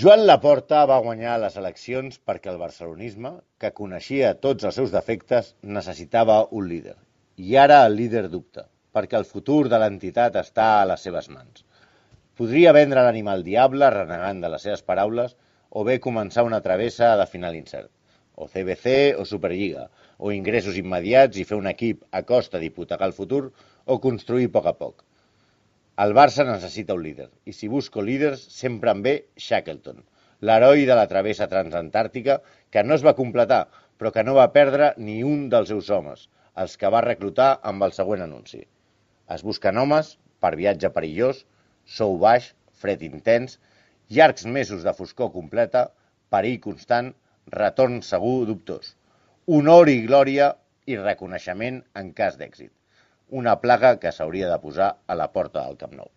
Joan Laporta va guanyar les eleccions perquè el barcelonisme, que coneixia tots els seus defectes, necessitava un líder. I ara el líder dubta, perquè el futur de l'entitat està a les seves mans. Podria vendre l'ànima al diable renegant de les seves paraules o bé començar una travessa de final incert. O CBC o Superliga, o ingressos immediats i fer un equip a costa d'hipotecar el futur o construir a poc. El Barça necessita un líder, i si busco líders sempre em ve Shackleton, l'heroi de la travessa transantàrtica que no es va completar, però que no va perdre ni un dels seus homes, els que va reclutar amb el següent anunci. Es busquen homes per viatge perillós, sou baix, fred intens, llargs mesos de foscor completa, perill constant, retorn segur dubtós, honor i glòria i reconeixement en cas d'èxit. Una plaga que s'hauria de posar a la porta del Camp Nou.